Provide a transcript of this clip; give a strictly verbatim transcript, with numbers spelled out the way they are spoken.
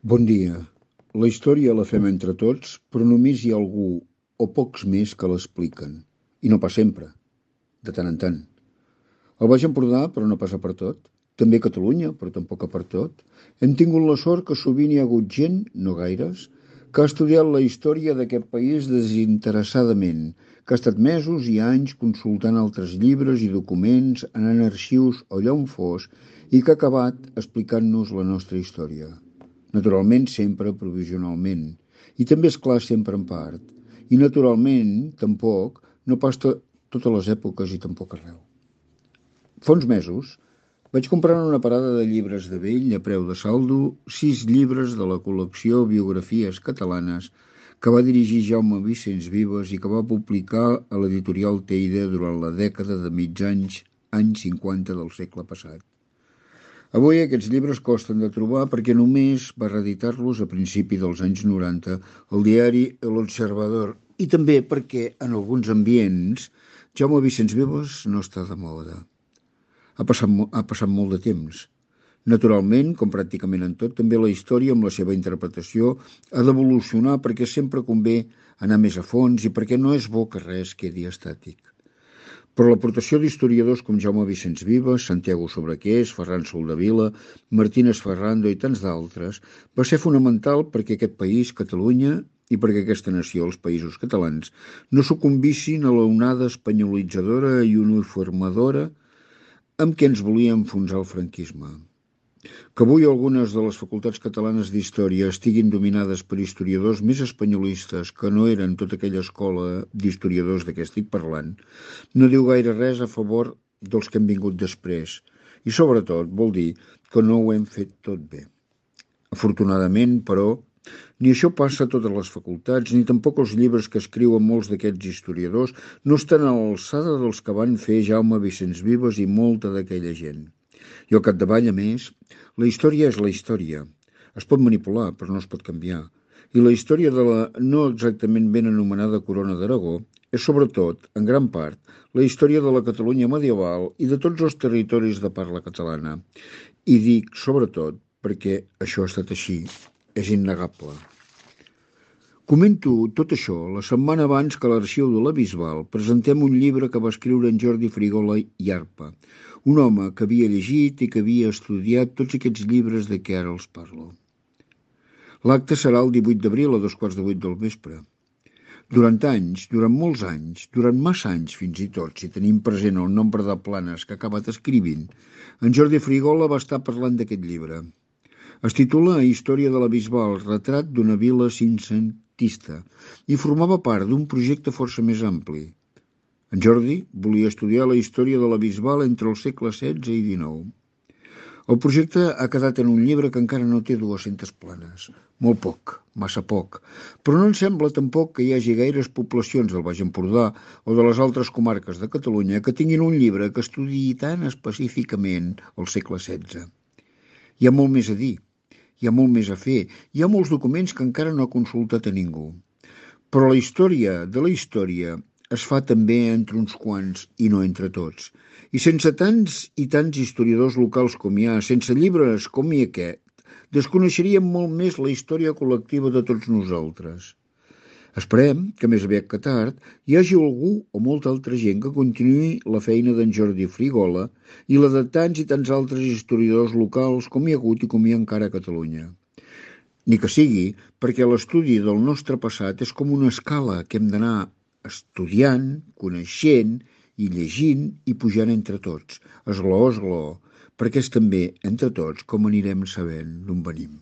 Bon dia. La història la fem entre tots, però només hi ha algú o pocs més que l'expliquen. I no pas sempre, de tant en tant. El Baix Empordà, però no passa per tot. També Catalunya, però tampoc per tot. Hem tingut la sort que sovint hi ha hagut gent, no gaires, que ha estudiat la història d'aquest país desinteressadament, que ha estat mesos i anys consultant altres llibres i documents, anant a arxius o allà on fos, i que ha acabat explicant-nos la nostra història. Naturalment, sempre provisionalment. I també, és clar, sempre en part. I naturalment, tampoc, no pas to totes les èpoques i tampoc arreu. Fa uns mesos vaig comprar en una parada de llibres de vell a preu de saldo sis llibres de la col·lecció Biografies catalanes que va dirigir Jaume Vicens Vives i que va publicar a l'editorial Teide durant la dècada de mitjans anys cinquanta del segle passat. Avui aquests llibres costen de trobar perquè només va reeditar-los a principi dels anys noranta el diari El Observador i també perquè en alguns ambients Jaume Vicens Vives no està de moda. Ha passat, ha passat molt de temps. Naturalment, com pràcticament en tot, també la història amb la seva interpretació ha d'evolucionar perquè sempre convé anar més a fons i perquè no és bo que res quedi estàtic. Però l'aportació d'historiadors com Jaume Vicens Vives, Santiago Sobrequés, Ferran Soldevila, Martínez Ferrando i tants d'altres va ser fonamental perquè aquest país, Catalunya, i perquè aquesta nació, els Països Catalans, no sucumbissin a l'onada espanyolitzadora i uniformadora amb què ens volia enfonsar el franquisme. Que avui algunes de les facultats catalanes d'història estiguin dominades per historiadors més espanyolistes que no eren tota aquella escola d'historiadors de què estic parlant, no diu gaire res a favor dels que han vingut després i sobretot vol dir que no ho hem fet tot bé. Afortunadament, però, ni això passa a totes les facultats, ni tampoc els llibres que escriuen molts d'aquests historiadors no estan a l'alçada dels que van fer Jaume Vicens Vives i molta d'aquella gent. I al capdavall, a més, la història és la història. Es pot manipular, però no es pot canviar. I la història de la no exactament ben anomenada Corona d'Aragó és, sobretot, en gran part, la història de la Catalunya medieval i de tots els territoris de parla catalana. I dic, sobretot, perquè això ha estat així. És innegable. Comento tot això la setmana abans que a l'Arxiu de la Bisbal presentem un llibre que va escriure en Jordi Frigola i Arpa, un home que havia llegit i que havia estudiat tots aquests llibres de què ara els parlo. L'acte serà el divuit d'abril a dos quarts de vuit del vespre. Durant anys, durant molts anys, durant massa anys fins i tot, si tenim present el nombre de planes que ha acabat escrivint, en Jordi Frigola va estar parlant d'aquest llibre. Es titula Història de la Bisbal, retrat d'una vila cinquecentista i formava part d'un projecte força més ampli. En Jordi volia estudiar la història de la Bisbal entre els segles setze i dinou. El projecte ha quedat en un llibre que encara no té dues-centes planes. Molt poc, massa poc. Però no em sembla tampoc que hi hagi gaires poblacions del Baix Empordà o de les altres comarques de Catalunya que tinguin un llibre que estudiï tan específicament el segle setze. Hi ha molt més a dir. Hi ha molt més a fer, hi ha molts documents que encara no ha consultat a ningú. Però la història de la història es fa també entre uns quants i no entre tots. I sense tants i tants historiadors locals com hi ha, sense llibres com hi aquest, desconeixeríem molt més la història col·lectiva de tots nosaltres. Esperem que més aviat que tard hi hagi algú o molta altra gent que continuï la feina d'en Jordi Frigola i la de tants i tants altres historiadors locals com hi ha hagut i com hi ha encara a Catalunya. Ni que sigui perquè l'estudi del nostre passat és com una escala que hem d'anar estudiant, coneixent i llegint i pujant entre tots, esglaó a esglaó, perquè és també entre tots com anirem sabent d'on venim.